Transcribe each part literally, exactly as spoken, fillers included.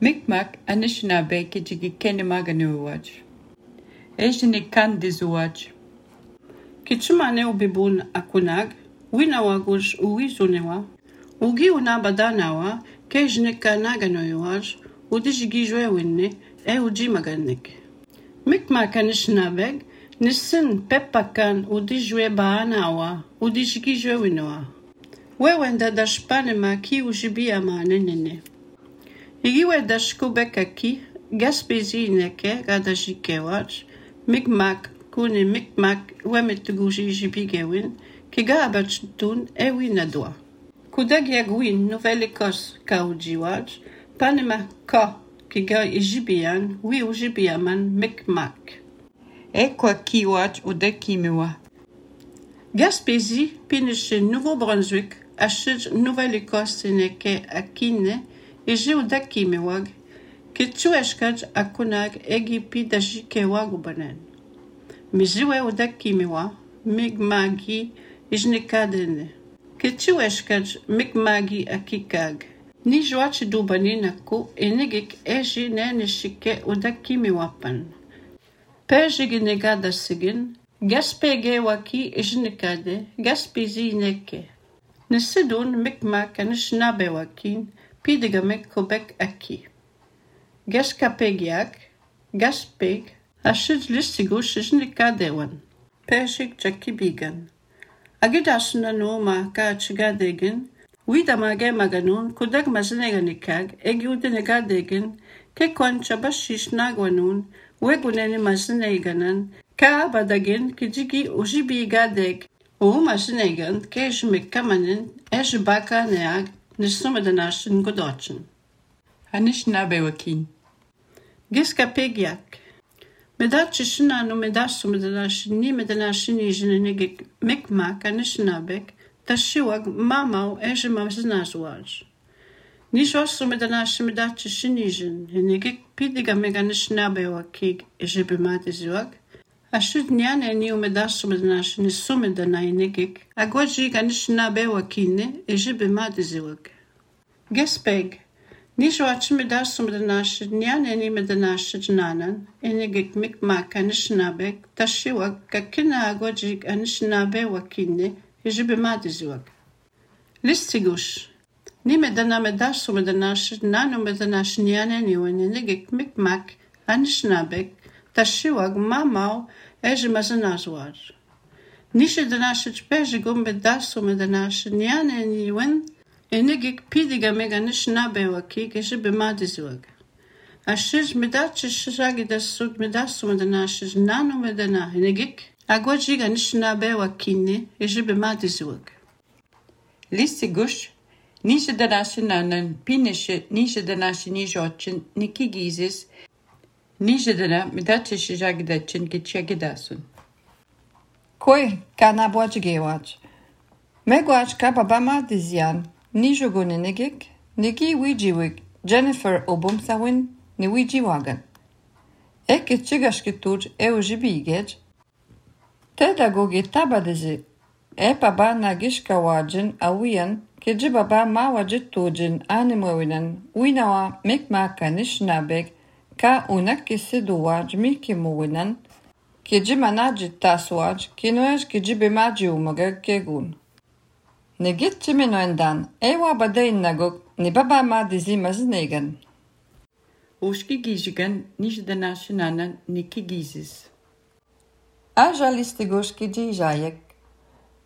Micmac Anishinaabe kijigi Kenemaganiwaj. Ejini Kandizuaj. Kichumane ubibun akunag, winawaguj uizunewa, ugi unabadanawa, kejne kanaganoyaj, udijigijwe winne, e ujimaganik. Micmac Anishinaabe, nisin pepakan udijwe baanawa, udijigijwe winoa. Wewenda dashpanema ki ujibiama nenene. Igiwe dashkubeka ki, gaspezi neke gadajikewaj, Micmac kune Micmac wemetuguji jibigewin, kiga abachutun ewi nadwa. Kudagiagwin Nouvelle-Écosse kaujiwaj, panema ka kiga ijibian, wi ujibiaman Micmac. Ekwa kiwaj udekimiwa. Gaspésie, pineche Nouveau-Brunswick, achid Nouvelle-Écosse neke akine, eje udakimewag, kichueshkaj akunag egipi dajikewag ubanen. Mijiwe udakimiwa, Migmagi ijnikadene. Kichueshkaj Micmagi akikag. Ni joachi dubani naku enegik eji neneshike udakimiwapan. Pejiginegada sigin, Gaspege waki ijnikade, Gaspésie neke. Nesidun Micmac Anishinaabe wakin, pidigamek Quebec aki. Gaskapegiak, Gaspeg, ashid listigush ijnikadewan. Pejig jakibigan. Agidashna no ma ka chigadegen, widamage maganun, kudag mazineganikag, egiudenegadegen, kekwan chabashish nagwanun, wegunene mazineganan, ka badagin kijigi ujibigadeg, o mazinegan, kej mekamanen, ej baka neag, nisumedanash godochin. Anishinaabe wakin. Giskapegiak. Medachishina no medasumedanash ni medanash ni jinenegik Micmac Anishinaabe, tashiwag mamau ej mazinazwaj. Nijosumedanash medachishinijin, enegik pidigameg Anishinaabe wakig ejebemadiziwag, ashud nyane ni umedasumedanash ni sumedanainegik, agwajig Anishinaabe wakine ejebemadiziwag. Gaspeg. Nijoach medasumedanash nyane ni medanash jnanan, enegik Micmac Anishinaabe, tashiwag kakina agwajig Anishinaabe wakine ejebemadiziwag. Listigush. Ni medana medasumedanash nano medanash nyane ni wenenegik Micmac Anishinaabe, tashiwag mamau ejemazanazwaj. Nishedanash pejigum medasumedanash nyane ni wen, enegik pidigameg Anishinaabe wakig ejebemadiziwag. Ashij medachishagidasud medasumedanash nano medana enegik, agwajig Anishinaabe wakine ejebemadiziwag. Listigush, Nijadanashi pineshe Nijadanashi nijochin nikigizis, Nijadana medachishagidachin kichagidasun. Koi kanabwajgewaj. Megwaj kababama dizian, nijogunenegik, nigi wijiwik, Jennifer Obumsawin, ni wijiwagan. Eke chigashkituj eujibigej, tedagogi tabadizi, e baba nagishkawajin awian, kijibaba mawajitujin animewinan, winawa Micmac Anishinaabe, ka unakisiduwaj mikimuwinan, kijimanaji taswaj, kinoej kijibemaji umagag kegun. Negit chimenoendan, ewa badain nagok, ni baba ma dizi maznegan. Oshki gijigan Nijadanash nanan nikigizis. Aja listigosh kijijayek.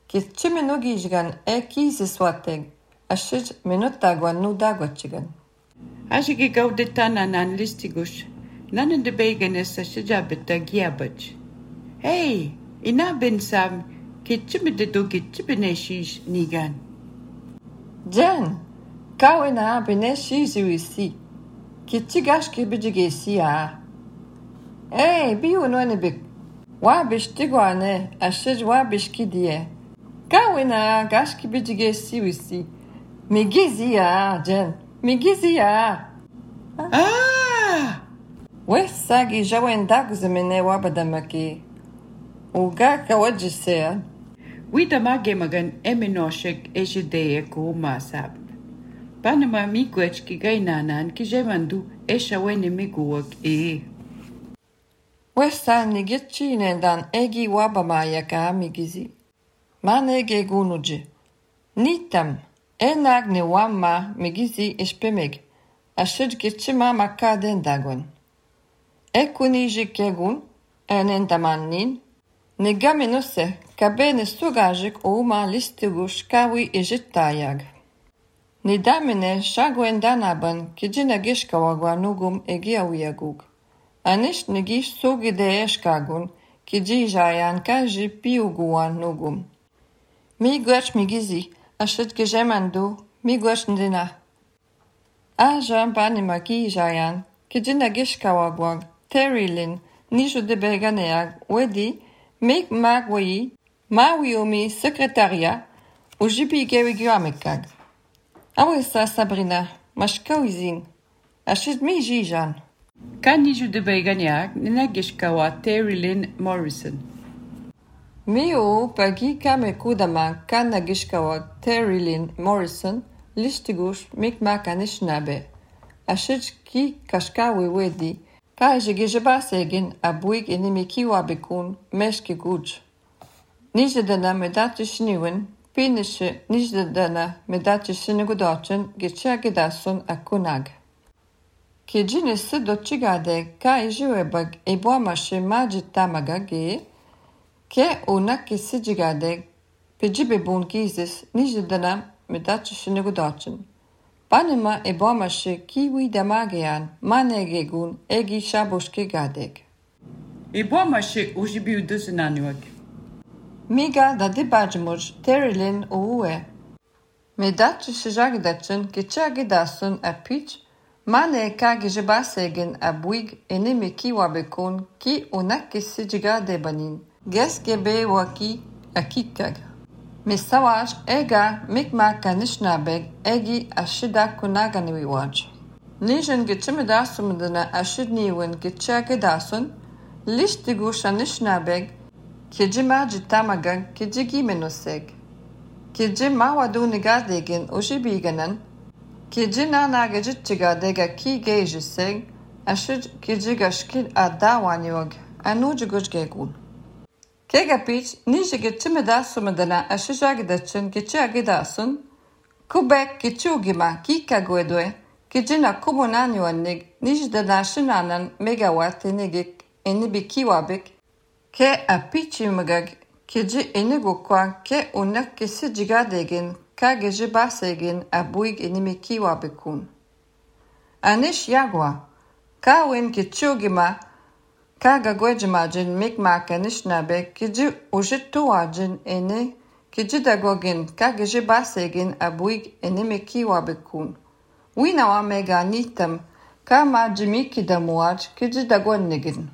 Kit chimenogijgan e kizis wateg, ashij minutagwan nu dagwachigan. Ashigi gaudetana nan listigush, nanan de beganes ashijabeta giabaj. Hey, ina ben sam, kitchimededo kitchibeneshish nigan. Jen, kawina beneshizi wisi, kitchigashki bijigesi a. Hey, biu noenebik, wabishtigwane, ashij wabishkidiye. Kawina gashki bijigesi wisi, migizi a, Jen, migizi a. Ah! Wessagi jawendag zemene wabadamaki. Uga kawajisea. Widamage magan eminoshek ejideye kumasab. Panama miigwech ki gainanan ki jemandu esha wene miguak e. Wesa nigitchine dan egi wabamaya ka migizi. Manege gunuji. Nitam. Enag ni wamma migizi ispemeg. Ashid gitchima makaden dagon. Ekuniji kegun. Enendamannin. Nigaminuse. Kabene sugajik ouma listigush kawi ijittayag. Nidamine shagwendanaban kijina gishkawagwa nugum egiawiyagug. Anish nigish sugide eshkagun kiji jayan kaji piuguan nugum. Migwech migizi ashit gejemandu migwech ndina. Ajan banima ki jayan kijina gishkawagwag terilin nishu de beganeag wedi mek magwayi mawiomi sekretaria ujibi gewigwamekag. Awesa Sabrina, mashkawizin. Ashid mi jijan. Kaniju de Beganiak, Ninagishkawa Terry Morrison. Miu pagi kame kudama kanagishkawa Terry Morrison, listigush mikmakanishnabe. Ashid ki kashkawi wedi, kajigijabasegin abuig inimikiwa bekun meshki guj. Nijadana medatishniwen, Pinische nijdana medaci sinigudocin gicia gidasun akunag. Kijini sido chigade ka ijiwebag ibuamashi majid tamaga ge, ke unaki sijigade pijibibun gizis nijdana medaci sinigudocin. Panima ibuamashi kiwi damagean manegegun egi shabushki gadeg. Ibuamashi ujibiu duzinaniwag. Miga da dibajmuj terilin uue. Medaci shijagdacin kichagidasun apich, mane ka gijibasegin abuig enimi kiwabekun ki unaki sijigade banin. Geskebe waki akikag. Misawaj ega mikmaka nishnabeg egi ashida kunaganiwaj. Nijen gichimidasumdana ashidniwen kichagidasun, lishtigusha nishnabeg Kiji maji tamagan kiji gimenuseg. Kiji mawadu nigadegin ujibiganan. Kiji nanagajitchigadega ki gejiseg. Ashid kiji gashkil adawanyog. Anujigujgegun. Kegapich nijigitchimidasumedana ashijagidachin kichiagidasun. Kubek kichugima kikagwedwe. Kijina kumunanyuanig nijdana shinanan megawatt enigik enibikiwabik. Ke apichimagag kiji enigukwa ke unak kisi jigadegin ka geji basegin abuig enimikiwa bekun. Anish yagwa, ka win kichugima ka gagwejimajin mikmaka nishnabe kiji ujituwajin ene kiji dagogin ka geji basegin abuig enimikiwa bekun. Winawa mega nitam ka majimikidamuaj kiji dagonnigin.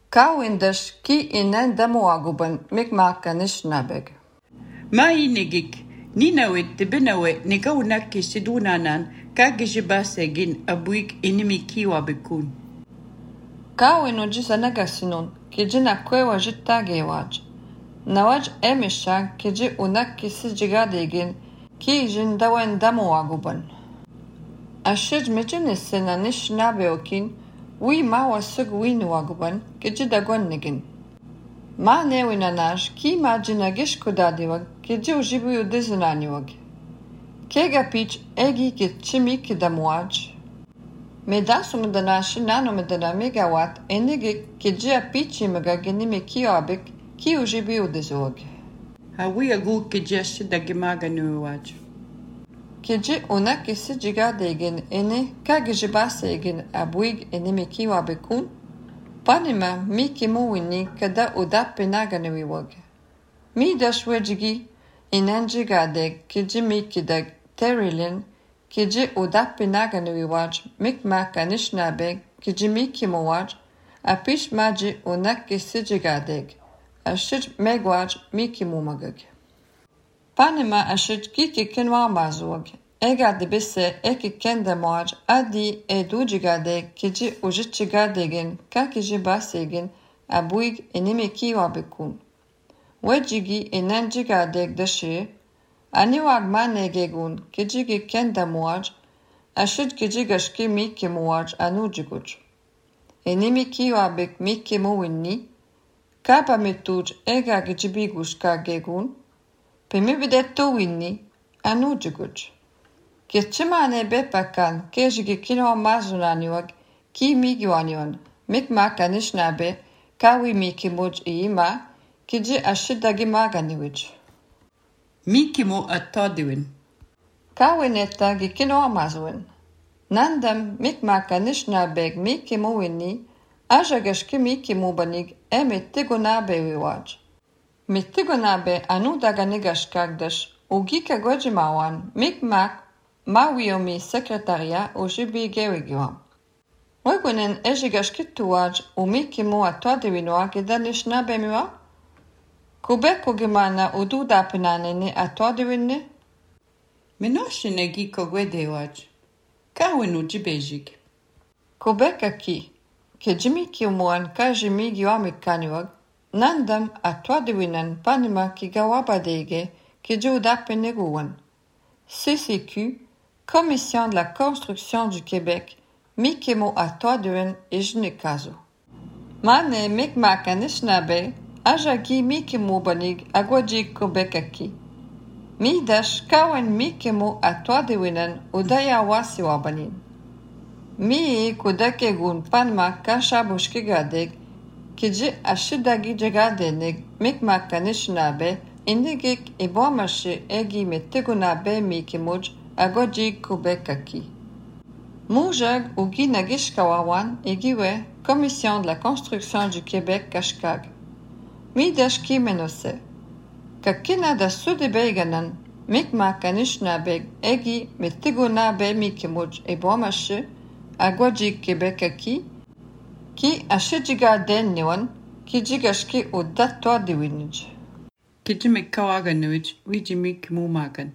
Kawindash ki inen damuaguban mikmaka nishnabeg. Ma inigik, ninawit tibinawit nigawnak sidunanan kagijibasegin abuig inimikiwa bekun. Kawinu jisanagasinun kijina kwewa jittagewaj. Nawaj emisha kiji unak kisijigadegin ki jin dawen damuaguban. Ashij mijinisina nishnabeokin Wi ma wasug winuaguban kijidagonnigin. Ma newinanaj ki ma jinagish kudadiwag kiji ujibuyu dizinaniwag. Kega pich egi kichimi kidamuaj. Medasumdana shinanumdana megawatt enigi kiji apichi magaginimi kiobik ki ujibuyu dizuwag. Hawi agu kiji ashidagimaganuwaj. Kiji unak isi jigadegin ene kagijibasegin abuig enimikiwa bekun, panima mi kimuwini kada udapenaganiwag. Mi dashwejigi inan jigadeg kiji mi kidag terilin kiji udapenaganiwaj mikmaka nishnabeg kiji mi kimuwaj apish maji unak isi jigadeg ashij megwaj mi kimumagag. Panima ashid kiki kenwa mazuag. Ega debise eki kende moaj adi edujigade kiji ujichigadegin ka kiji basegin abuig enimi kiwa bekun. Wejigi enenjigadeg dashe Aniwag manegegun, kijigi kenda muaj, ashid kijigashki miki muaj anujiguj. Enimiki wabek miki muwinni, kapa metuj ega gijibigush kagegun, pemibidetto winni anujiguj. Kitchimane bepakan, kejigi kino mazunaniwag, ki migiwanion, mikmak anishnabe, kawi miki muj iima, kiji ashidagi maganiwij. Miki mo atodiwin. Kawinetta gikino amazuin. Nandam mikmaka nishnabeg miki mo winni, ajagashki miki mo banig e mittigonabe wiwaj. Mittigonabe anudaga nigashkagdash, ugika gojimawan mikmak mawiomi sekretaria ujibi gewigiwam. Wegunen ejigashkituwaj u miki mo atodiwinwa gida nishnabe miwa? Kubeko gimana ududa pinanene atodiwinne? Menoshine giko gwedewaj. Kawinu jibejig. Kubeka ki, ke jimiki umuan ka jimigi wamikaniwag, nandam atodiwinan panima ki gawabadege ki juda peneguwan. C C Q, Commission de la Construction du Québec, mikimo atodiwin ijnikazu. Mane mikmaka nishnabe, ajagi mikimo banig agwajig kubeka ki. Midash kawen mikimo atodiwinan udaya wasiwa banin. Mi kudake gun panma kashabushki gadeg, kiji ashidagi jagadenig mikmaka nishnabe, indigik ibomashi egi metigunabe mikimuj agwajig kubeka ki. Moujag ugi nagishkawawan egiwe Commission de la Construction du Québec kashkag. Midash ki menose. Kakina da sudebeganan mikmaka nishnabeg egi metigunabe mikimuj ibomashi agwajig Québec ki, ki ashijiga denniwan, ki jigashki udatwa diwinij. Kijimik kawaganwij, wijimik mumagan.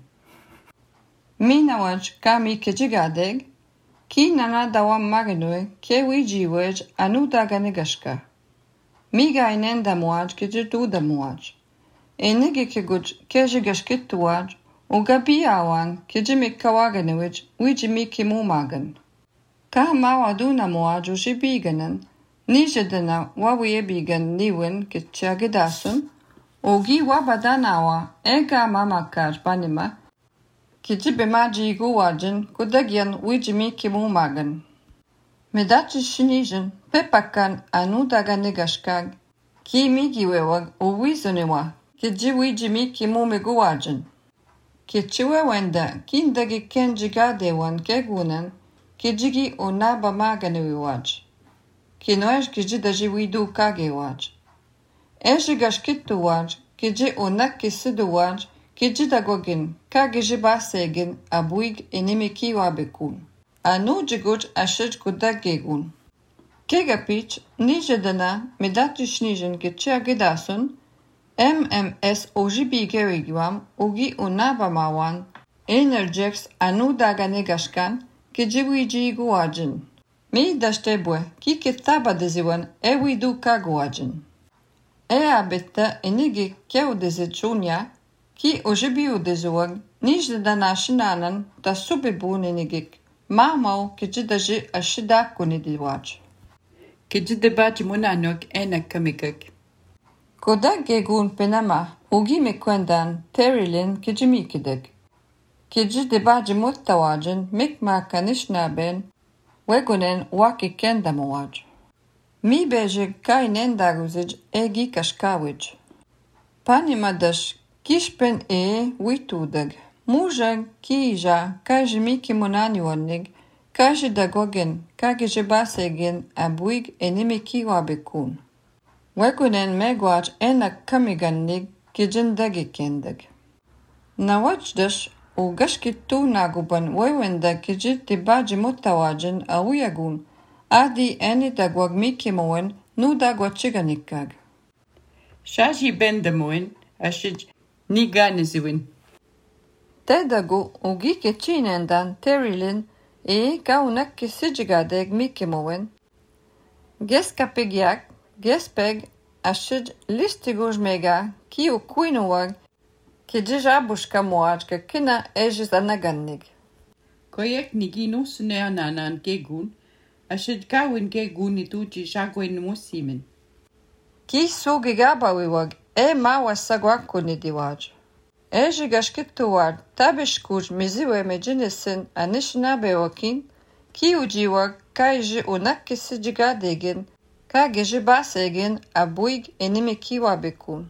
Minawaj kami kijigadeg, ki nana dawam maganwe ke wijiwej anudaga nigashka. Miga inen damuaj kijitu damuaj. Enigi kiguj kejigashkituaj, ugabi awan kijimik kawaganwij, wijimiki mumagan. Ka mawaduna muaj ujibiganan, nijedana wawiyebigan niwin kitchagidasun, ugi wabadanawa ega mamakaj banima, kijibe maji guwajin kudagyan wijimiki mumagan. Medachi shinijin pepakan anudaga negashkag, ki migiwewag uwizuniwa, kiji wijimiki mumiguwajin. Kichiwe wenda kindagi kenjigadewan kegunan, kijigi unaba maganiwaj. Kinoej kijidaji widu kagewaj. Ejigashkituwaj, kiji unakisiduwaj, kijidagogin kagijibasegin abuig inimiki wabekun. Anu jiguj ashij kudagegun. Kegapich nijedana medatishnijen kichiagidasun, M M S ojibi gewigiwam ugi unaba mawan, Energex anudaga negashkan, kijiwiji guwajin. Mi dashtebwe ki kitaba deziwan ewidu kaguwajin. E abetta enigi keu dezichunya, ki ojibi udezuwag, nijdana shinanan da subibun enigik, mamau kijidaji ashidakunidiwaj. Kijidebaji munanok enak kamikak. Kodagegun penama ugi mekwendan terilin kijimikideg. Kijidebaji muttawajin mikmaka nishnaben, wegunen waki kendamuwaj. Mi bejig kainen daguzij egi kashkawij. Panimadash kishpen e witudeg. Mujag kija kajimiki munaniwanig, kajidagogen kagijibasegin abuig enimiki wabekun. Wegunen megwaj enak kamigannig kijindagikendeg. Nawajdash u gashkitu naguban wewenda kijit tibaji mutawajin awiyagun, adi eni dagwag mikimowen nu dagwachiganikag. Shaji bendamoin, ashij niganiziwin. Tedagu ugi kichinendan terilin e kaunak kisijigadeg mikimowen. Geskapegyak, gespeg ashij listigujmega ki u kuinuwag كجي جابوشكا مواجكا كنا اجز انغنغ. Koyek nigi nus neananan gegun, ashid gawin gegun ituji jagwen musimin. Ki sugi gabawiwag e mawa sagwakuni diwaj. Eji gashkituwad tabishkuj miziwe mejinisin anishnabewakin, ki ujiwag kaiji unakisi jigadegin, ka geji basegin abuig enimi kiwabikun.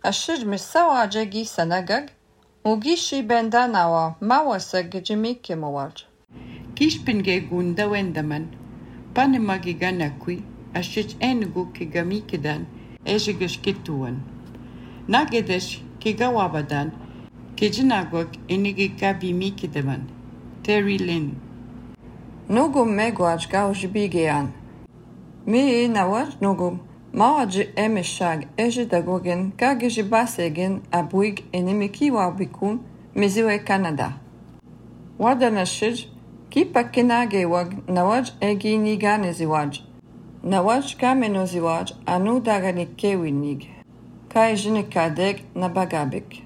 Ashid misawaje gi sanagag, ugishi bendanawa mawasa gijimike mawaj. Kishpin gegun da wendaman, panema giganakui, ashid enugu kigamikidan, eji gashkituan. Nagedesh kigawabadan, kijinagwag enigi kabimikidaman. Terry Lynn. Nugum megwaj gaujibigean. Mi nawaj nugum. Mawaji emeshag eji dagogin kagiji basegin abuig enimikiwa bikun miziwe Canada. Wadanashij ki pakinage wag nawaj egi nigane ziwaj. Nawaj kameno ziwaj anu dagani kewinig. Kai jinikadeg na bagabik.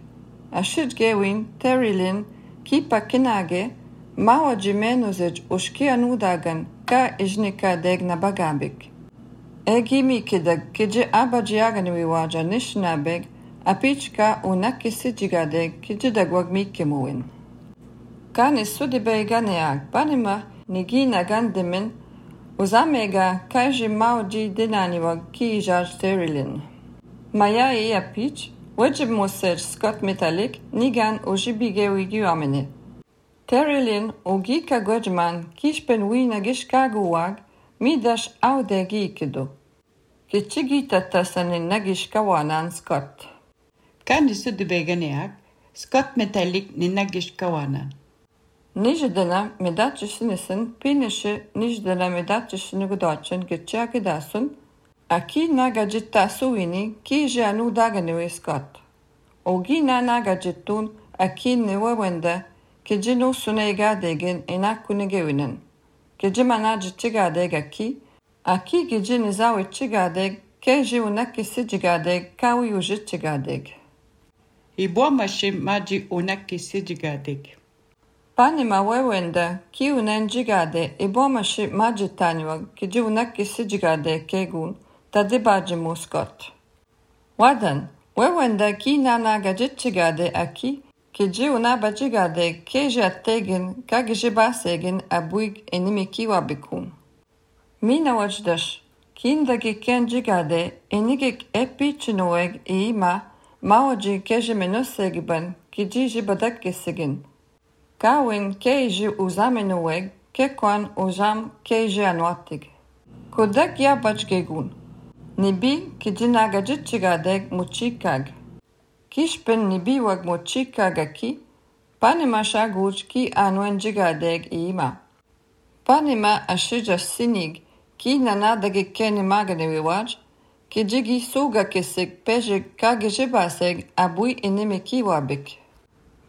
Ashid gewin terilin ki pakinage mawaji menozej ushki anu dagan ka jinikadeg na bagabik. Egi mi kidag kiji abajiagani wiwaja nishnabeg apichka unakisi jigadeg kiji dagwag mi kimuwin. Kani sudibe ganeag panima nigi nagandimin uzamega kaiji mauji dinaniwag ki ijaj terilin. Maya e apich wajib musej Scott Metallic nigan ujibige wigi amene. Terilin ugi kagwajman kishpen wina gishkaguwag midash audegi ikido. Kichigi tatasanin nagish kawanan Scott. Kan sudu beganeak, Scott Metallic ni nagish kawanan. Nijdana medachishinisin pinishi nijdana medachishini gudachin gichakidasun, aki nagajita suwini ki janu daganewe Scott. Ogi na nagajitun aki niwawenda kijinu sunegadegin inakunigewinen. Kijimana jichigadeg aki, aki gijini zawi chigadeg, keji unakisi jigadeg, kawi uji chigadeg. Ibwa mashi maji unakisi jigadeg. Panima wewenda ki unen jigade, ibwa mashi maji tanywa, kiji unakisi jigadeg kegun, tadibaji muskot. Wadan, wewenda ki nanaga jichigade aki, kiji unabajigade keji attegin kagiji basegin abuig enimiki wabikun. Mina wajdash, kindagi kenjigade enigik epi chinueg iima mawaji keji menusegiban kiji jibadakkesigin. Kawin keji uzamenueg kekwan uzam keji anwatig. Kodak yabajgegun. Nibi kiji nagajichigadeg muchikag. Kishpen nibi wag muchikagaki, panima shaguj ki anwen jigadeg iima. Panima ashija sinig ki nanadagi keni magane wiwaj, ki jigi suga kesig pejig kagijibaseg abui enimi ki wabik.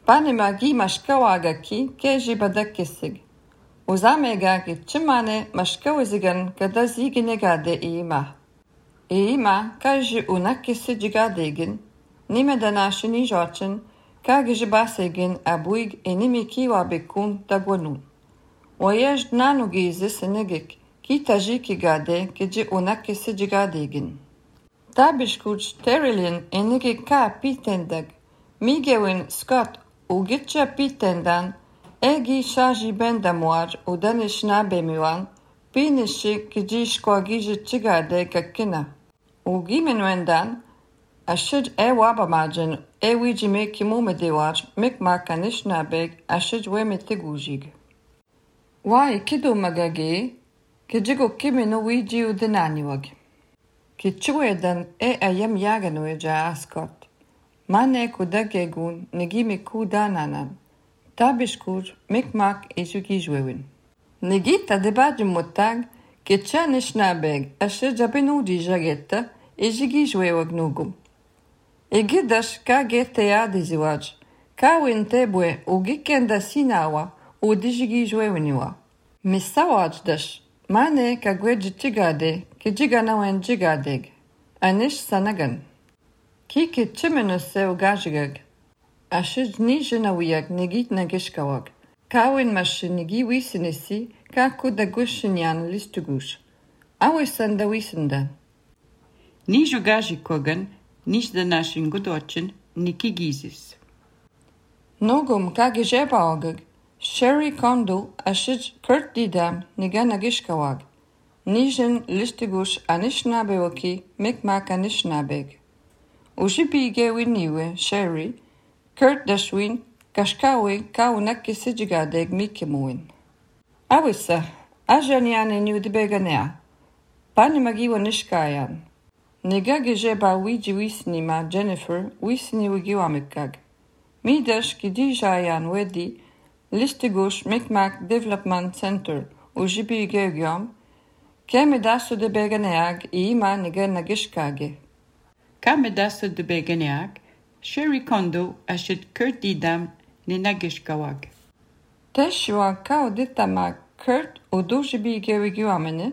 Panima gi mashkawaga ki keji badak kesig. Uzamega ki chimane mashkawizigan kada ziginegade iima. Iima kaji unakisi jigadegin, nimedanashi ni jochin, kagijibasegin abuig enimi ki wabikun dagwanun. Oyej nanugi zisinigik, ki tajiki gade kiji unakisi jigadegin. Tabishkuj terilin enigi ka pitendag, migewin Scott ugitcha pitendan, egi shaji bendamuaj udanish nabemiwan, pinishi kiji shkwagiji chigade kakina. Ugimenwendan, ashid e wabamajin e wijime kimumediwaj mikmakanish nabeg ashid wemetigujig. Wai kido magage, kijigo kimino wiji udinaniwag. Kichwedan e ayam yaganwe ja Scott. Mane kudagegun negimi kudananan. Tabishkur mikmak isukijwewin. Negita debaji mutag, kichanish nabeg ashid jabinudi jagetta ijigijwewag nugum. Egidash ka gete yadiziwaj, ka wintebwe ugikenda sinawa udijigijwewiniwa. Misawajdash, mane ka gweji chigade, kijigana wen jigadeg. Anish sanagan. Kiki chimenuse ugajigag. Ashid nije na wiyak negit na gishkawag. Kawin mashin nigi wisinisi ka kuda gushinyan listugush. Awisan da wisenda. Ni jogaji kogan, niż da nashin godochin, niki gizis. Nogum ka gijeba ogag. Sherry Kondo ashid kurt didam niga na gishkawag. Nijen listugush anishnabe waki mikmak anishnabeg. Ujibi gewi niwe, Sherry, Kurt dashwin, kashkawi kaunak kisijigadeg mikemuin. Awisa, ajanian eniu de beganea. Pani magiwa nishkayan. Niga gejeba wiji wisnima Jennifer wisni wigiwamikag. Midash kidijayan wedi Listegush Mikmak Development Center ujibi gegiom. Keme dasu de beganeag ima niga nagishkage. Kame dasu de beganeag, Sherry Kondo ashid Kurt didam ni nagishkawag. Teshua kao ditama Kurt udujibi gewigiwamene,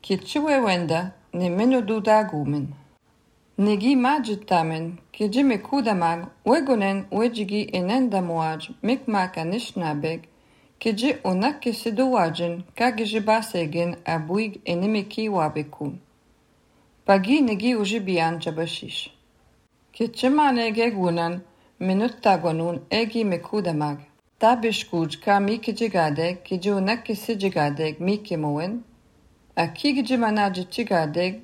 kitchiwe wenda ni menu dudagumen. Nigi majitamen, kijime kudamag, wegonen wejigi enenda muaj, mikmaka nishnabeg, kiji unaki siduwajen, kagijibasegen abuig enemiki wabekun. Pagi nigi ujibian jabashish. Kitchimane gegunan, minut tagonun egi mekudamag. Tabishkuj ka miki jigadeg, kiji unaki sijigadeg miki moen, a kigijimanaji jigadeg,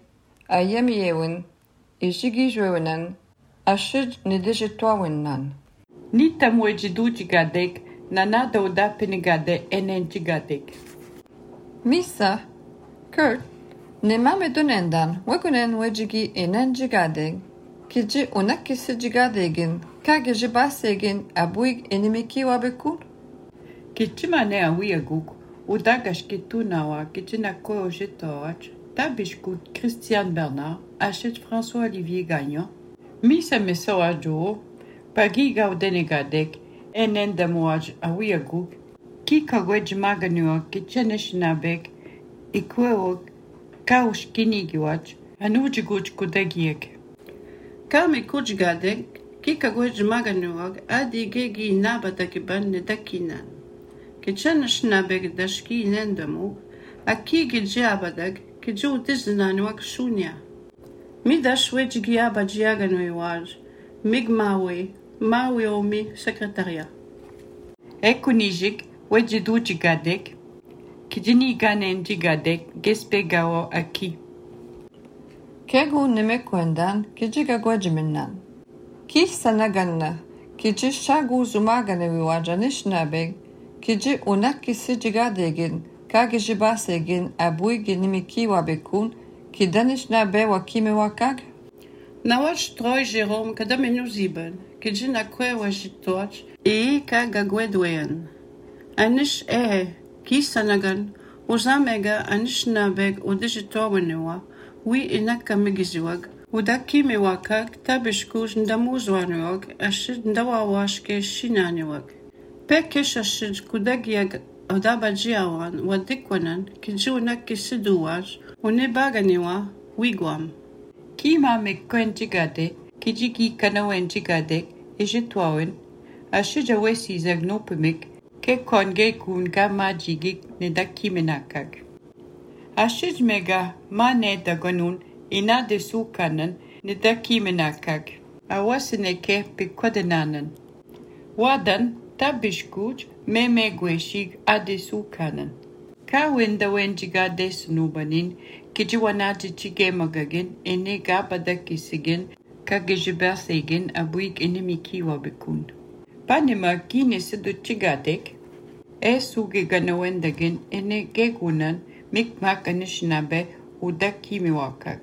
a yemiyewin, ijigi jwewenan, a shid nidijitwawinan. Nita mwejidu jigadeg, nanada udapinigade enen jigadeg. Misa, Kurt, ne mame donendan, wegunen wejigi enen jigadeg, kiji unaki sijigadegin, kage jibasegin abuig enemiki wabekun? Kitchimane awiyaguk, udagashkitu nawa, kitchinako ojetoach, tabishkut Christian Bernard, achète François-Olivier Gagnon, misa meso ajo, pagi gaudenegadek, enen damuaj awiyaguk, ki kagwej maganuak, kitcheneshnabek, ikwewok, kaushkinigiwach, anujiguch kudegiek. Kame kujgadek, ki kagwej maganuak, adi gegi nabadakiban nedakinan. Kitcheneshnabek dashki nendamuk, aki gijabadak, kijo diznanuak shunya. Midash wejigi abajiaganuiwaj, migmawe, mawe omi secretaria. Ekunijik, wejidu jigadek, kijini ganen jigadek, gespegawo aki. Kegu nemekwendan, kijiga gwejiminan. Ki sanaganna, kiji shagu zumagane wiwajanishnabeg, kiji unaki sijigadegin, kage jibasegin abuigi nimiki wabekun, ki danishna be wakime wakag? Nawach troi Jérôme kadamenu ziben, kiji na kwe wajitoach, e kaga gwedwen. Anish e, ki sanagan, uzamega anish nabeg udijitowenewa, wi inaka migiziwag, udakime wakag, tabishkuj ndamuzwanuwag, ashid ndawawashke shinaniwag. Pekesh ashid kudagiag odabajiawan, wadikwanan, kiji unaki siduwaj, unebaganiwa, wigwam. Kima mekwen jigade, kijiki kanawen jigade, ejitwawen, ashija wesi zagnopimik, ke konge kun gama jigik nedakimenakag. Ashij mega ma nedagonun ina de sukanan nedakimenakag, awaseneke pekodenanan. Wadan tabishkuj me megweshig ade sukanan. Kawin dawen jigade snubanin, kijiwanaji chige magagin, ene gabada kisigin, kagijibasegin abuik enemiki wabekun. Panema kine sidu chigadek, e suge ganawendagin, ene gegunan, mikmak anishnabe, udaki miwakag.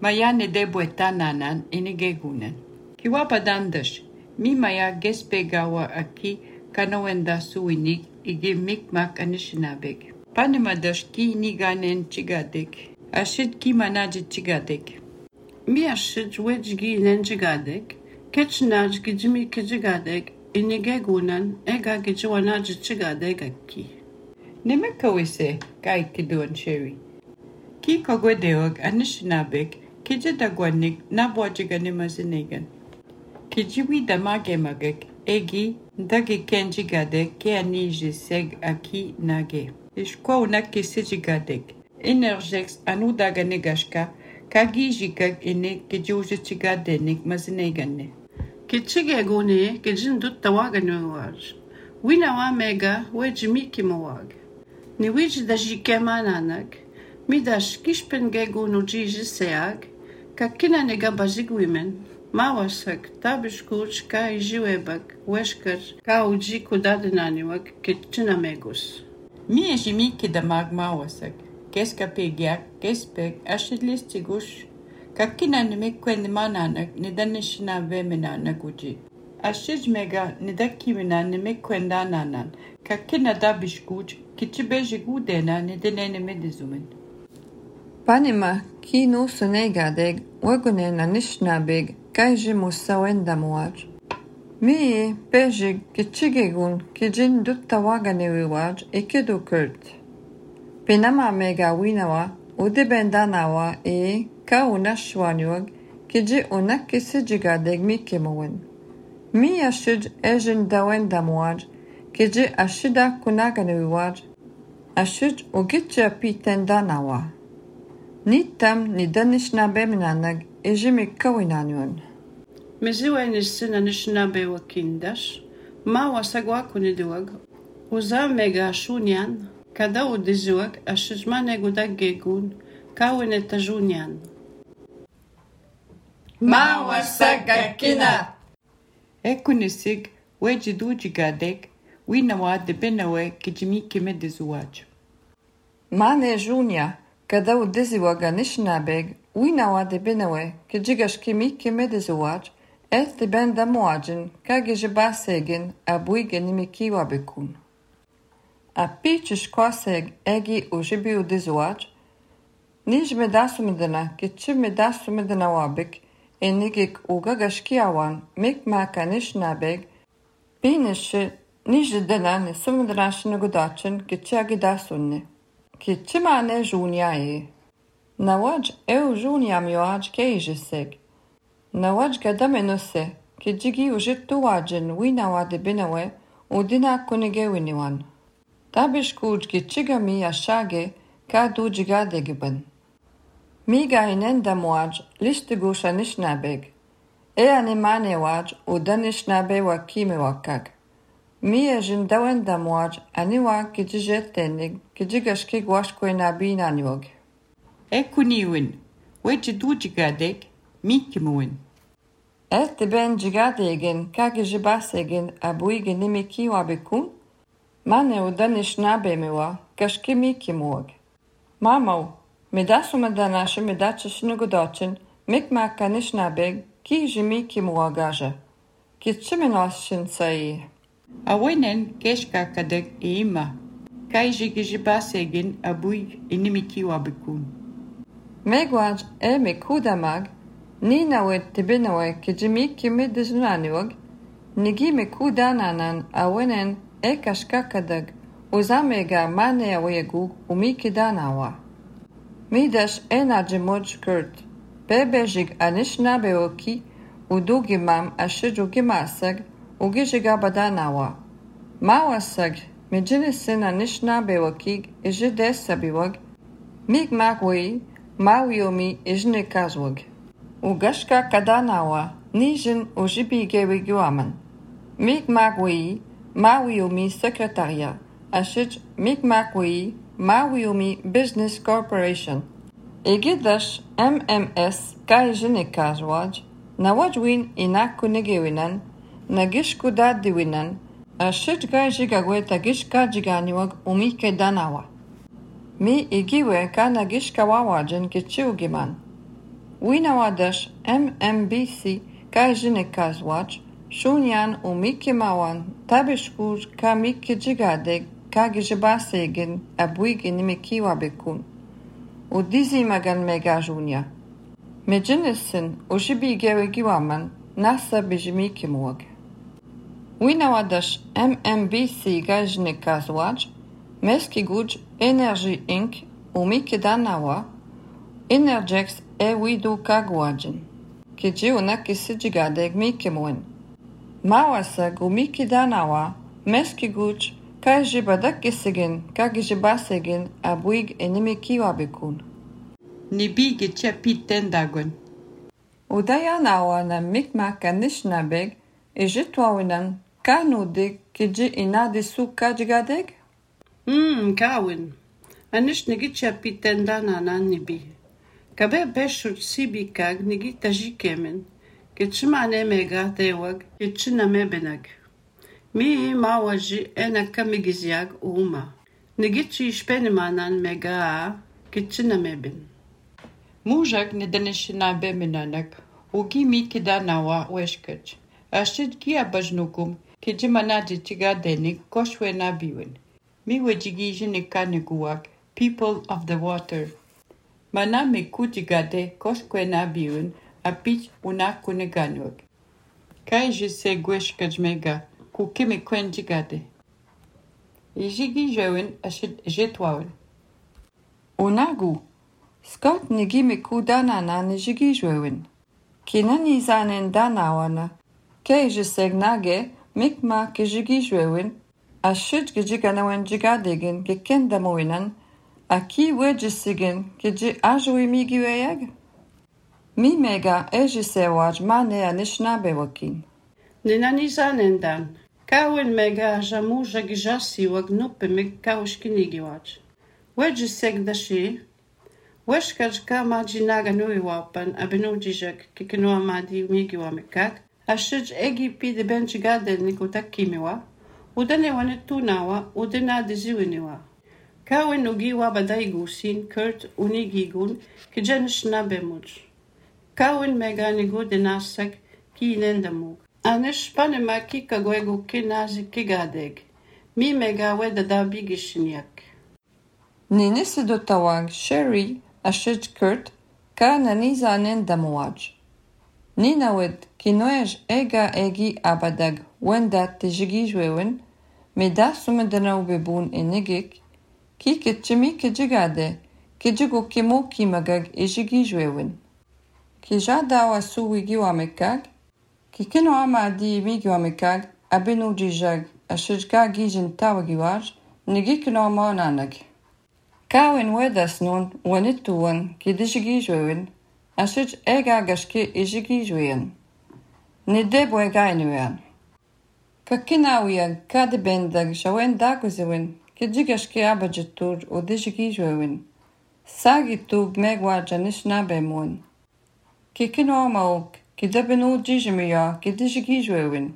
Mayane debweta nanan, ene gegunan. Kiwapadandash, mi maya gespegawa aki, kanawenda suinik, ige mikmak anishnabeg. Panema dash ki niganen chigadek. Ashid ki manaji chigadek. Mi ashid wejgi nen chigadek. Ketchnaj gijimi kijigadek. Inigegunan ega gijiwanaji chigadek aki. Nemekawise kai kiduan Sherry. Ki kogwedeog anishnabek. Kijidagwanik nabwajiga nemazinegan. Kijiwi damagemagek. Egi, ndagi kenji gadek, ke aniji seg aki nage. Ishkwa unaki siji gadek. Energex anu daga negashka, kagi jikak ene kejuji chigadenik mazinegane. Kichige gune, kijin dut tawaganwaj. Wina wa mega, wejimiki mawag. Ni wij da jikemananak, midash kishpenge gunu jiji seag, kakina nega bazig women. Mawasak, tabishkuch ka ijiwebak, weshkar, ka uji kudadenaniwak, kitchina megus. Mi ejimiki da mag mawasak, keska pegiak, kespek, ashidlistigush, kakina nimekwen mananak, nidanishina vemenanak uji. Ashij mega nidakimina nimekwen dananan, kakina dabishkuch, kichibeji gudena nidenene medizumen. Panima, ki no senegadeg, wagone na nishnabeg, kajji musawen damuaj. Mi pejig kichigegun kijin dutta waganewiwaj ekedo kurt. Penama mega winawa, udebendanawa e ka unashwanyuag, kiji unakisijigadeg mikemowen. Mi ashij ejin dawen damuaj, kiji ashida kunaganewiwaj, ashij ugitja pitendanawa. Nitam nidanishna beminanag ejimik kawinanyun. Meziwa nisina nishna bewa kindash, ma wasagwa kuniduag, uza mega shunyan, kada udizuag ashijmane gudag gegun, kawine tajunyan. Ma wasaga kina! Ekunisig, wejiduji gadek, winawa de benawe kijimiki medizuaj. Mane junia, kada udiziwaga nishnabeg, winawa de benawe, kijigashki miki medizuaj, et de ben damuajin, kagijibasegin, abuigen imikiwa bekun. A pichish kwaseg egi ujibi udizuaj, nij medasumidana, kichib medasumidana wabik, enigik ugagashkiawan, mik maka nishnabeg, binishi nijdana nisumidana gudachin, kichiagidasunne. Kichimane junia e. Nawaj eu junia mioaj keijiseg. Nawaj gadamenose, kijigi ujitu wajin winawa de binawe, udina kunige winiwan. Tabishkuj kichigami ashage, ka dujigadegiban. Miga inenda muaj, listigusha nishnabeg. E animane waj, udanishnabe wa kime wakak. Mi ejin dawenda muaj, aniwa kijijetenig, kijigashki gwashkwe nabi naniwag. Ekuniwin, wejiduji gadek, mikimuwin. Et ben jigadegen, kagijibasegen, abuigen nimiki wabikun, mane udanishnabe mewa, kashki mikimuwag. Mamau, medasumadanashi medachishnugodochin, mikmaka nishnabeg, ki jimiki muwagaja. Kichimenoshin sai. Awenen keshka kadek eima, kaijigijibasegin abui inimiki wabikun. Megwaj e mekudamag, ni nawet tibinawe kijimiki medizunaniwag, nigi mekudananan awenen e kashkakadag, uzamega mane awegu umiki danawa. Midash e najimoj kurt, bebejig anishnabeoki, udugimam ashijugimasag, ugijigabadanawa. Mawasag, mijinisin anishnabeokig, ijidesabiwag, migmagwei, mawiomi ijnikazwag. Ugashka kadanawa, nijin ujibigewiguaman. Migmagwei, mawiomi secretaria, ashij migmagwei, mawiomi business corporation. Egidash M M S kaijinikazwaj, nawajwin inakunigewinan, nagishku dadiwinan, ashij gajigagwe tagishka jiganiwag umike danawa. Mi igiwe ka nagishka wawajin kichiugiman. Winawadash M M B C kaijinikazwaj, shunyan umike mawan, tabishkuj ka miki jigadeg, ka gijibasegin, abuigin imikiwa bekun. Udizi magan mega junia. Mejinisin ujibi gewegiwaman, nasa bijimiki muwag. Winawadash M M B C gajnikazwaj, meski guj Energy Incorporated, umiki danawa, Energex e widu kagwajin. Kiji unaki sijigadeg mikimuen. Mawasag umiki danawa, meski guch, kaj jibadak gesigin, kag jibasegin, abuig enemiki wabikun. Nibi getja piten dagon. Udayanawa na mikmak anishnabeg, ejitwawinan, kanudik, kiji inadisu kajgadeg? Hmm, kawin. Anish nigit ya piten dana na nibi. Kabe beshut sibi kag nigit tajikemen. Kitchimane mega tewag, kitchina mebenag. Mi mawaji ena kamigizyag uma. Nigitchi shpenemanan mega kitchina meben. Mujak ne danishina beminanak, ugi mi kidanawa weshkach. Ashid kia bajnukum, kijimanaji tigadenik koshwe nabiwin. Mi wejigi niguak, people of the water. Mana me kutigade koshwe nabiwin, apich unakuneganwag. Kai jise gweshkaj mega, kukimi kwenjigade. Ijigi jewin ashid jetwawin. Unagu. Scott nigimi kudanana nijigi jwewin. Kinani zanen danawana. Kei jisegnage mikma kijigi jwewin. Ashid gijiganawen jigadegin gikendamowinan. Aki wejisigin kiji ajwi migiweyag? Mi mega ejisewaj mane anishnabe wakin. Ninani zanendan. Kawin mega jamu jagijasi wagnupe meg kawshkinigiwaj. Wejiseg dashi. Weshkaj kama jinaga nui wapan abinu jijak kikinoa madi migiwa mekak. Ashij egi pide benjigade nikutakimiwa. Udane wanetunawa udena diziwiniwa. Kawin ugiwa badaigusin kurt unigigun kijanish nabemuj. Kawin mega nigu denasak ki nendamug. Anish panema kikagwegu kinazi kigadeg. Mi mega wedada bigishinyak. Ninisi dotawag Sherry ashid kurt ka naniza nendamwaj. Ninawed kinoej ega egi abadag wenda tijigi jwewin, meda sumedana ubebun enigik, ki kitchimi kijigade, kijigu kimu kimagag ejigi jwewin. Kijada wasu wigi wamekag, kikino amadi migi wamekag, abinu jijag ashidka gijin tawagiwaj, nigikino maonanag. Kawin wedas nun wanituwan kidijigi jwewin, ashid ega gashke ejigi jweyen. Nideb wega inuyan. Kakinawiyan kadebendag shawen daguzewin, kidjigashke abajitur o dijigi jwewin. Sagi tub megwa janish nabemun. Kikino mauk, kidabinu jijimiya kidijigi jwewin.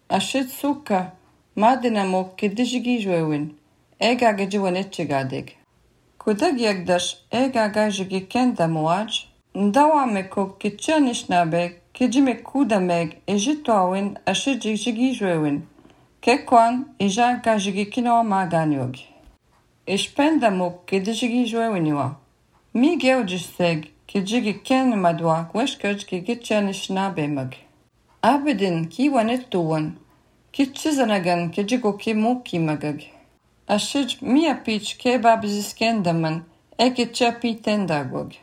Ashid suka, madinamuk kidijigi jwewin. Ega gajiwanetchigadig. Kudag yagdash ega gajigi kendamuaj, ndawamekuk kitchanishnabeg, kijime kudameg ejitwawin ashijigi jwewin. Kekwan ija gajigi kino maganyog. Ishpendamuk kidijigi jwewiniwa. Mi geojisteg kijigi ken madwa kweshkaj kitchanishnabemag. Abedin kiwanettuwan, kitchizanagan kijigo kimu kimagag. Ashij mia pich kebab ziskendaman eke chapi tendagwag.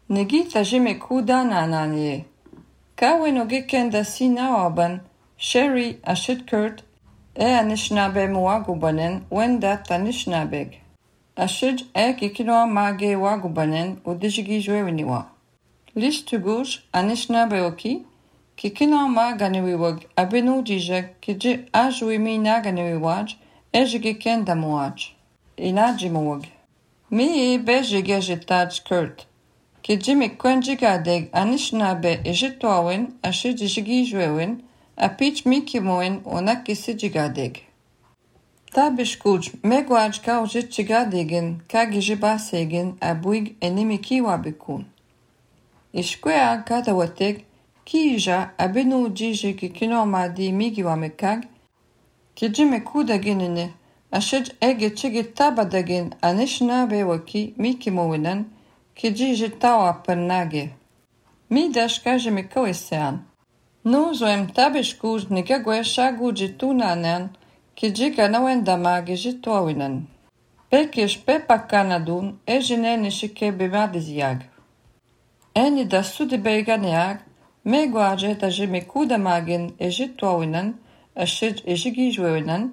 Negita jime kudana nanye. Kawin ogekenda sinawaban, Sherry ashid kurt, e anishnabe muagubanen wenda tanishnabeg. Ashid e kikinoa mage wagubanen udijigi jwewiniwa. Listugush anishnabe oki, kikinoa maganiwiwag abinu jijag kiji ajwimi naganiwiwaj, ejigi kendamuaj. Inajimuwag. Mi bejige jitaj kurt. Kijimi kwenjigadeg anishnabe ejitwawin ashijigi jwewin, apich mikimoin onakisijigadeg. Tabishkuj megwaj kaujitjigadegin kagijibasegin abuig enimiki wabikun. Ishkwea kadawateg kija abinu jijigi kinomadi migiwamekag, kijime kudaginine ashij ege chigi tabadagin anishnabe waki mikimowinan, kiji jitawa pernage. Mi dashka jime kawesean. Nu zoem tabishkuj nigagwe shagu jitunanan, kiji kanawen damage jitwawinan. Pekish pepa kanadun e jine nishike bimadiziag. Eni da sudibeganeag, Megwaj et a jeme kudamagin e jitwaunan, a shid e jigijweunan,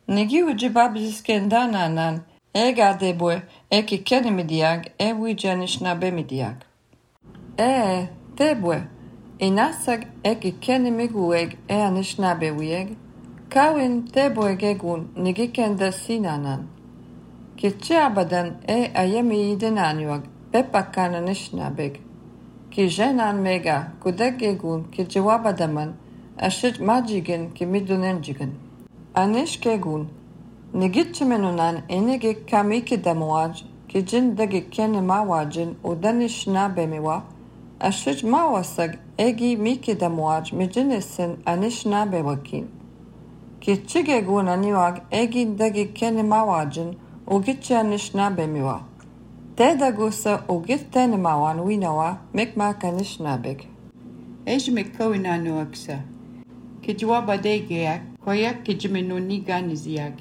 negi u jibabziskendananan, e gadebwe e ki kenemidiag e wijanishna bemidiag. E, tebwe, inasag e ki kenemigueg e anishnabewieg, kawin tebwe gegun negi kenda sinanan. Kitche abadan e ayemi idenanyuag, bepakan anishnabeg. Ki jenan mega kudek gegun ki jawabadaman, ashit majigen ki midunenjigen. Anish gegun, negitche menunan enege kamiki damuaj, ki jindagi kene mawajin udanish nabemiwa, ashit mawasag egi miki damuaj mijinesin anish nabewakin. Ki chigegun aniwag egi dagi kene mawajin ugitche anish nabemiwa. Teda gusa ugit tene mawan winawa mekmak anish nabeg. Ejme kawinanu aksa. Ki jawabadegea koyak ki jimenu ni ganiziag.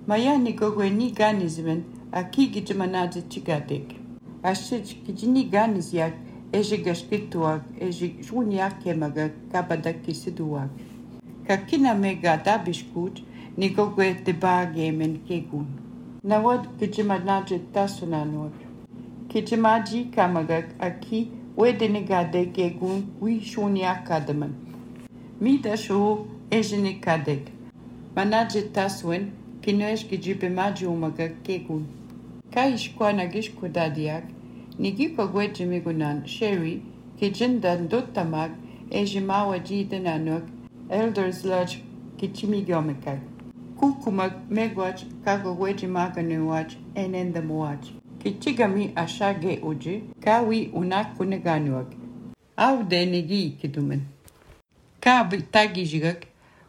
Maya ni gogwe ni ganizmen aki ki jimanazi chigadek. Ashij ki jini ganiziag eje gashkituag eje juniak kemaga kabadak kisiduag. Kakina mega dabishkut ni gogwe debagemen kegun. Nawad ki jimanazi tasunanuag. Kijimaji kamagak aki wedenegade gegun wi shunya kadaman. Mida shu ejene kadek. Manaje taswen kinoesh kijibe maji umagak gegun. Kaish kwa nagish kudadiak nigiko gweje migunan sherry kijindan dotamag ejimawa jidenanok elders lodge kichimigomekak. Kukumag megwach kago gweje maganuwach enendamuwach. Kichigami ashage uji, kawi unakuneganuag. Au de negi kidumen. Ka betagijigak,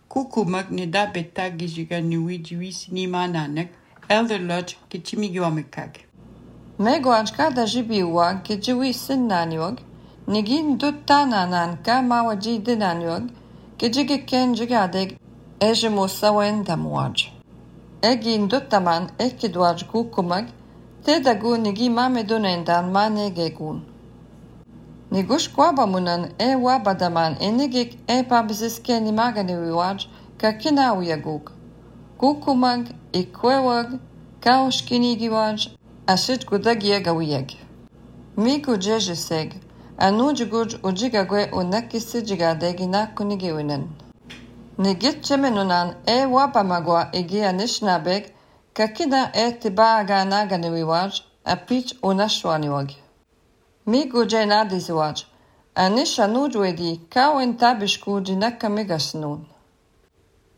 kukumag nida betagijiga nuiji wisi mananak, elder lodge kichimigwamekag. Megwaj kada jibiwag ki jiwi sinnanyuag, negin duttananan ka mawaji dinanyuag, ki jige ken jigadeg ejemo sawen damuaj. Egin duttaman ekidwaj kukumag, Teda gu nigi mame dunendan mane gegun. Nigush kwabamunan e wabadaman enigik e pabziske ni magani wiwaj ka kina uyaguk. Kukumag, ikwewag, kaoshkinigiwaj, ashit gudagiega uyeg. Migu jejeseg, anujuguj ujigagwe unakisi jigadegi nakunigiwinen. Nigit chemenunan e wabamagwa igi anishnabeg, Kakina e tibaga naganiwaj, a pitch unashwaniwag. Migu jenadiziwaj, anisha nujwedi kawin tabishku jinaka migasnun.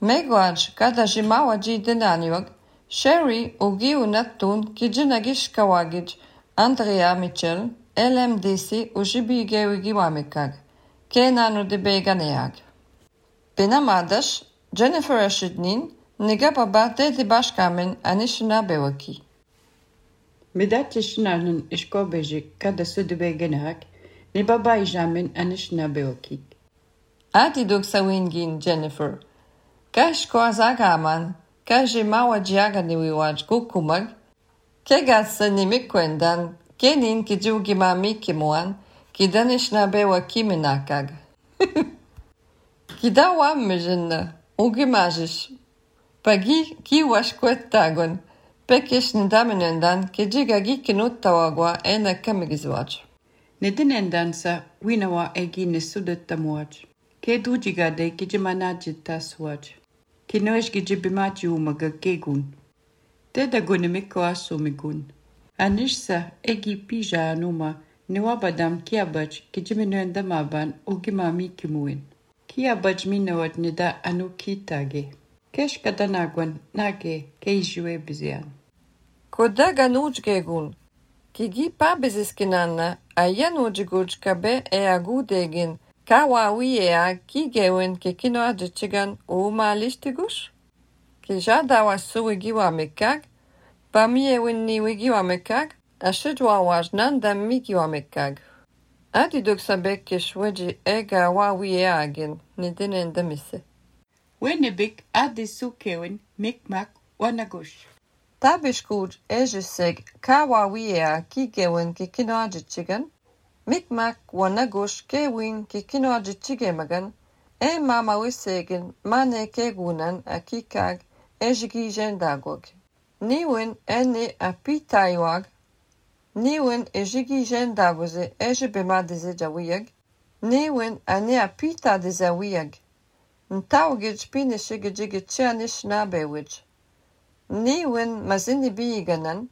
Megwaj kada jimawa ji dinaniwag, Sherry ugi unatun ki jinagish kawagij, Andrea Mitchell, L M D C ujibi gewigi wamikag, kenanu dibeganeag. Benamadash, Jennifer Ashidnin, Niga baba dedi başkamen anishna bewaki. Medat ishnanen ishkobejik kada sudubegenak, ni baba ijamen anishna bewaki. Adi duk sawingin Jennifer. Kash ko azagaman, kaje mawa jiaga niwiwaj kukumag, kegatsa nimikwendan, kenin ki jugi mami kimuan, ki danishna bewaki minakag. Kida wammejinna, ugimajish. Pagi ki washkwet tagon, pekish nidaminendan ki jigagi kinuttawagwa ena kamigizwaj. Nedinendansa winawa egi nesudattamuaj. Ke dujigade ki jimanajit taswaj. Ki noesh ki jibimaji umaga kegun. Teda gunimiko asumigun. Anishsa egi pija anuma niwabadam kiabaj ki jiminuendamaban ugimami kimuin. Kiabaj minawat nida anu kitage. Kesh kadanagwan nage keijue bizian. Kodaga nujgegun. Kigi pabiziskinanna ayan ujiguj kabe e agudegin kawawi ea kigewen ke kino ajichigan uma listigush? Ki jadawa suwigiwa mekag, pamiewin ni wigiwa mekag, ashidwa wajnan dam migiwa mekag. Adi duksabek kishweji ega wawi ea agin, nidinen damise. Wenebik adi sukewen mikmak wanagush. Tabishkuj ejeseg kawawi ea kigewen ke kino ajichigan, Mikmak wanagush kewin kikino jichigemagan, e mama wisegen mane kegunan akikag ejigi jendagog. Niwin ene apitaiwag, niwin ejigi jendagoze ejibema deze jawiyag, niwin ane apita de zawiyag. Ntawgij pinishigijigi chianish nabewij. Niwin mazini biganan,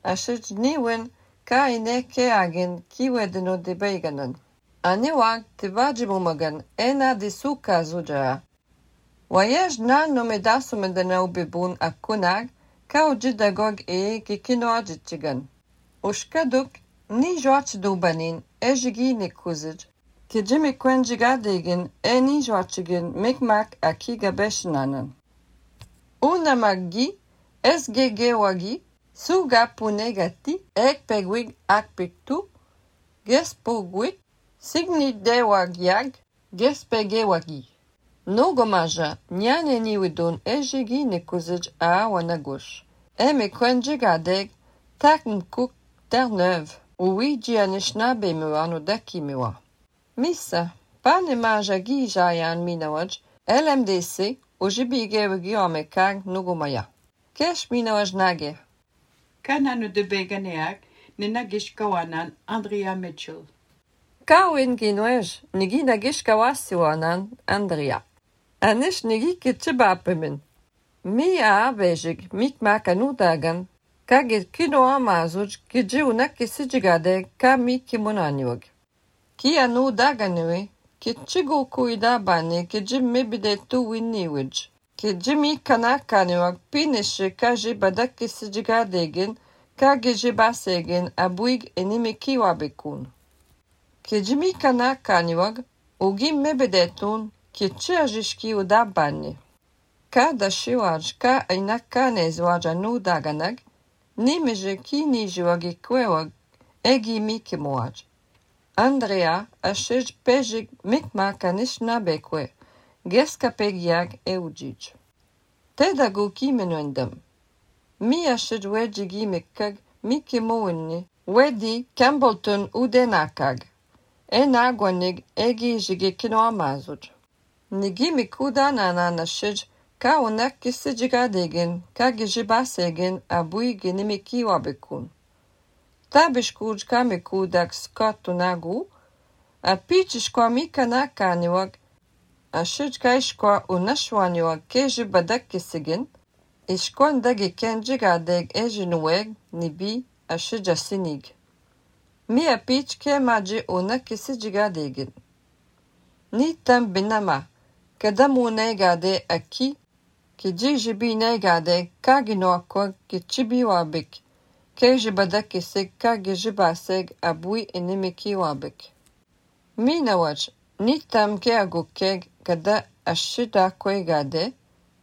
ashij niwin ka ine keagin kiwedino de beiganan. Aniwag tivajimumagan ena de suka zujara. Wayaj na nomedasumedana ubibun akunag, ka ujidagog e kikino ajichigan. Ushkaduk ni joach dubanin ejigi nikuzij. Kijimi kwenjigadegin e ni joachigin mikmak akiga beshnanan. Unamagi esgege wagi suga punegati ek pegwig ak piktu gespogwit signi de wagyag gespege wagi. Nogomaja nyane niwidun ejigi nikuzij a wanagush. Eme kwenjigadeg takn kuk ternev uwiji anishna bemewa no daki mewa. Missa, pane maja gi jayan minawaj, L M D C, ujibige wigi omekag nugumaya. Kesh minawaj nage. Kananu de beganeak, nenagish kawanan Andrea Mitchell. Kawin ginwej, nigi nagish kawasiwanan Andrea. Anish nigi kitchibapemin. Mi a vejig, mikmak anudagan, kagit kino amazuj, kiji unakisijigade ka mi kimunaniwag. Ki anu daganwe, ki chigu kuida bane ki jimmi bidetu winniwij. Ki jimmi kanakaniwag pinishe ka jibadaki sijigadegin, ka gijibasegin abuig enimiki wabekun. Ki jimmi kanakaniwag, ugim mebedetun, ki chiajishki uda bane. Ka dashiwaj ka inakanezwaj anu daganag, nimeje ki nijiwag ikwewag, egi mikimuaj. Andrea ashij pejig mikmak anishna bekwe, geska pegiag eujij. Tedagu kimenuendam. Mi ashij wejigi mikkag mikimuinni, wedi Campbellton udenakag. Enagwanig egi jigi kino amazuj. Nigi mikuda nanan ashij ka unak kisijigadegin, ka gijibasegin abui ginimiki wabekun. Tabishkuj kamikudak skotunagu, a pichishkwa mikanakaniwag, a shijka ishkwa unashwaniwag keji badakisigin, ishkwan dagi kenjigadeg ejinuweg nibi a shija sinig. Mi a pich ke maji unakisijigadegin. Nitam binama, kadamu negade aki, kijijibi negade kaginoakwa kichibi wabik. Keji badakisig ka gijibaseg abui inimiki wabik. Minawaj, nitam ke agukeg kada ashida kwegade,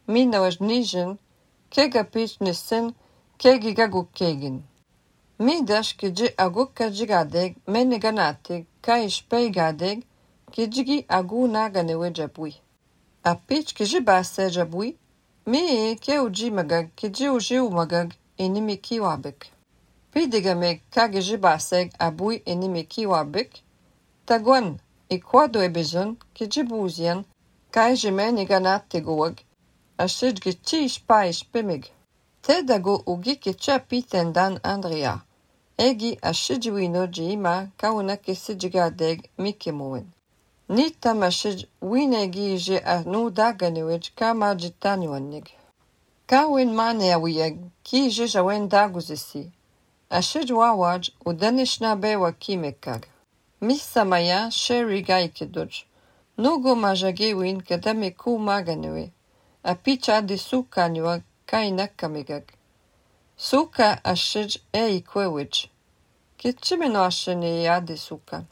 minawaj nijin, kega pich nisin, kegi gagukegin. Midash kiji agukka jigadeg meneganatig ka ishpeigadeg, kijigi agu naganewe jabui. A pich kijibase jabui, mi ke uji magag kiji uji umagag inimiki wabik. Pidigameg kagijibaseg abui inimiki wabik, tagwan ikwado ebezun kijibuzian kaijimeni ganatiguag, ashid gichish paish pimig. Tedago ugi kicha pitendan Andrea, egi ashidwino jima kauna kisijigadeg mikimuin. Nitam ashid winegi je anu daganewij kama jitanywanig. Kawin mane awiyeg ki je jawen daguzisi. Ashid wawaj udanishna bewa kimekag. Misamaya sheri gaikiduj. Nugo majagewin kadame ku maganewe. A picha de suka niwa kainakamigag. Suka ashid e ikwewij. Kitchimeno ashene ya de suka.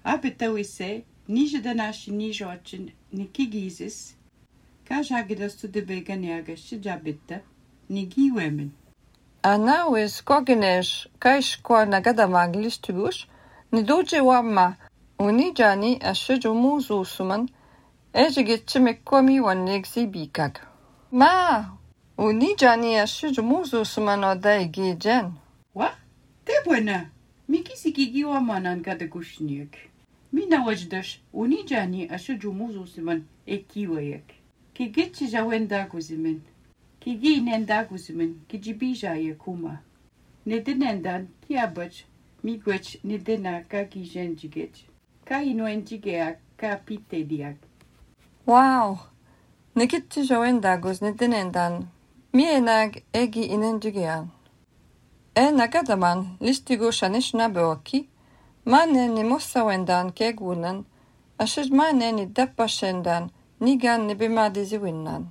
Abetawise, nijadanashi nijochin nikigizis, kajagidastu de beganeaga shijabita, nigiwemen. Anawis koginesh kaishkwa nagadamag listubush, nidoje wamma, unijani ashidu muzu suman, ejigitchimekkomi wanegzi bikag. Ma, unijani ashidu muzu suman odaigi jen. Wa? Te buena, mi Nikisi gigiwa manan kada gushniek. Mina wajdash unijani ashuju muzu siman ekiwayek. Ki gitchi jawenda guzimin. Ki gi nenda guzimin ki jibija yakuma. Nedinendan ki abach mi gwech nedina ka ki jenjigech. Ka ino enjigea ka pite diak. Wow! Nikitchi jawenda guz nedinendan. Mi enag egi inenjigean. E nagadaman listigo shanish nabeoki. Mane ni mossa wendan kegunan. Ashij mane ni dappa shendan. Nigan ni bimadizi winnan.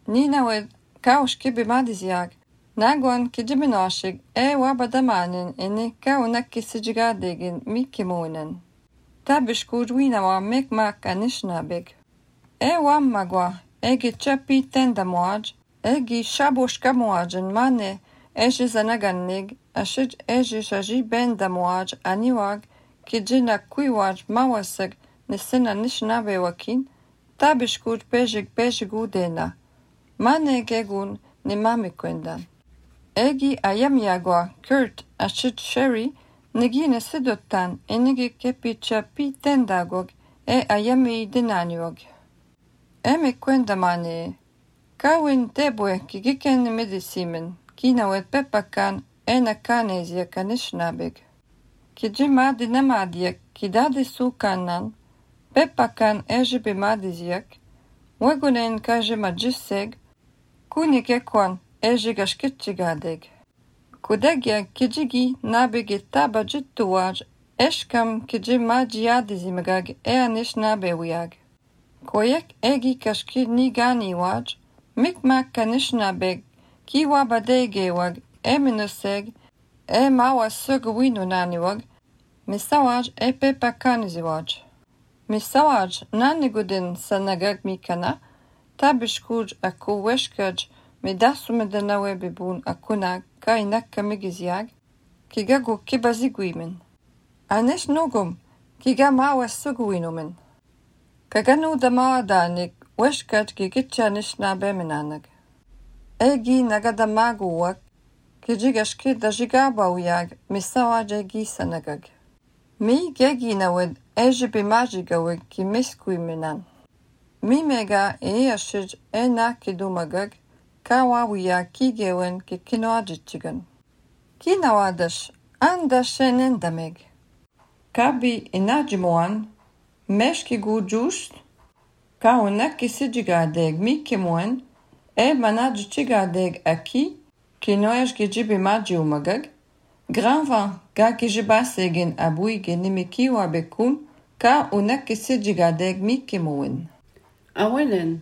Nina wed kaushki bimadiziag. Naguan kijibinoshig e wabadamanin eni kaunaki sijigadegin mikimoinen. Tabishkud winawa mikmak anishnabig. E wammagwa egi chapi tendamoaj. Egi shabushka moajen mane eji zanagannig. Ashij eji shaji bendamoaj aniwag kijina kuiwaj mawasig nisina nishnabe wakin. Tabishkud pejig pejigudena. Mane gegun ni mamikwendan. Egi ayamyagwa Kurt ashid Sherry nigine sidottan enigi kepicha pitendagog e ayami dinaniog. Eme kwendamane. Kawin tebwe kigiken medisimen kinawet pepakan ena kanezia kanishnabig. Kijima dinamadiak kidadi sukanan pepakan ejibe madiziak wegunen kajima jisseg kunikekwan ejigashkitchigadeg. Kudegia kijigi nabigi taba jittuwaj eshkam kijima jiadizimagag e anishnabewiag. Koyek egi kashki niganiwaj mikmak kanishnabeg kiwa badegewag e minuseg e mawa sugwinunaniwag misawaj e pepakaniziwaj. Misawaj nanigudin sanagag mikana tabishkuj aku weshkaj midasu medanawe bibun akuna kainakka migiziag kigagu kibazigwimin. Anish nugum kiga mawa sugwinumin. Kaganu damawa danik weshkaj gigitcha nishnabe minanag. Egi nagadamaguwak kijigashki dajigabawiyag misawaj egi sanagag. Mi gegi nawed ejibi majigawig ki miskuyminan. Mi mega e ashij e na kidumagag kawawiya kigewen ki kinoajichigan. Kinawadash andashen endameg. Kabi inajimuan meshki gujust kaunaki sijigadeg mikimuen e manajichigadeg aki kinoesh gijibi majiumagag Granvan ga kijibasegin abuige nimikiwa bekun ka unaki sijigadeg mikimuen. Awenen,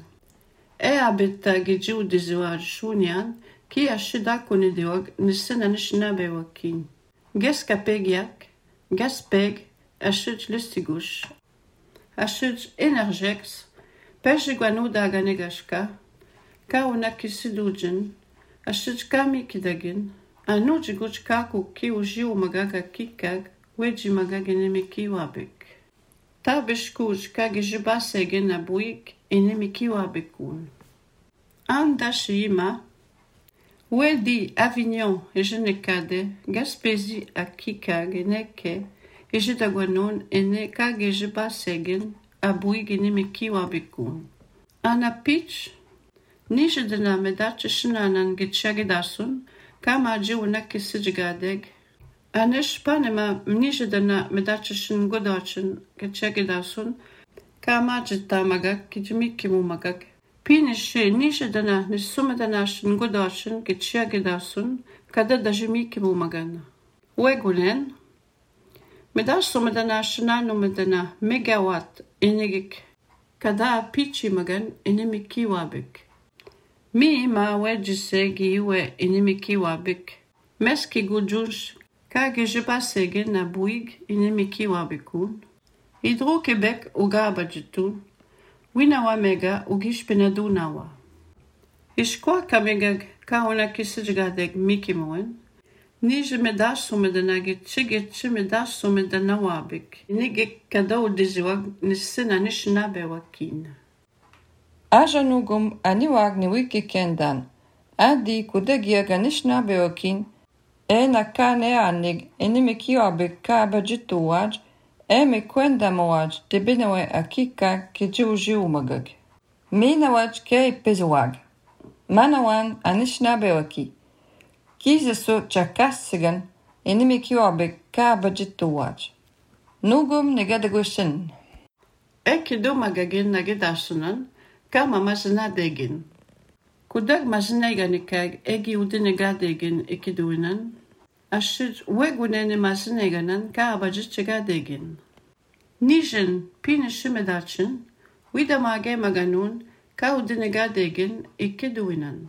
e abita gijiu diziwaj shunyan ki ashidakuni diwag nisina nishnabe wakin. Geska pegiak, gaspeg, ashij listigush. Ashij energex, pejiguanu daga negashka, ka unaki sidujin, ashij kami kidagin, anu jiguj kaku ki ujiu magaga kikag, weji magaginimi kiwabek. Tabishkuj kagijibasegin abuik enimi kiwabekun. Andashima, wedi Avignon e jenekade, Gaspésie a kikag eneke, e jedagwanon ene kagijibasegin abuik enimi kiwabekun. Anapich, nijedena medache shinanan gitchagidasun, kama jiwna kisijigadeg, Anish panema nijedena medacheshin godachin gitchagidasun, kama jita magak kijmikimu magak. Pinishe nijedena nisumedanashin godachin gitchagidasun, kada dajimikimu magana. Wegulen, medasumedanashin anumedana megawatt enegik, kada pichi magan enemikiwabik. Mi ma wejisegi iwe enemikiwabik. Meski gujunsh kagijibasegin na buig enemikiwabikun. Hydro-Québec ugabajitun. Winawa mega ugishpenadunawa. Ishkwa kamegag kauna kisijgadeg mikimoen. Nije medasu medanagit chigit chimedasu medanawabik. Nigik kadau diziwag nisina nishnabe wakin. Ajanugum aniwag ni wiki kendan. Adi kudegia ganishna beokin. e na kane anig enimikiobik ka bajituaj, e me kwenda moaj te binawe akika ke jiu magag. Minawaj ke pezuag. Manawan anishnabewaki. Kizesu chakasigan enimikiobik ka bajituaj. Nugum negadagushin. Eki do magagin nagedasunan, kama mazna degin. Kudag mazineganikag egi udinegadegin ekiduinan, ashid wegunene mazineganan ka abajitchegadegin. Nijen pinishimedachin, widamage maganun ka udinegadegin ekiduinan.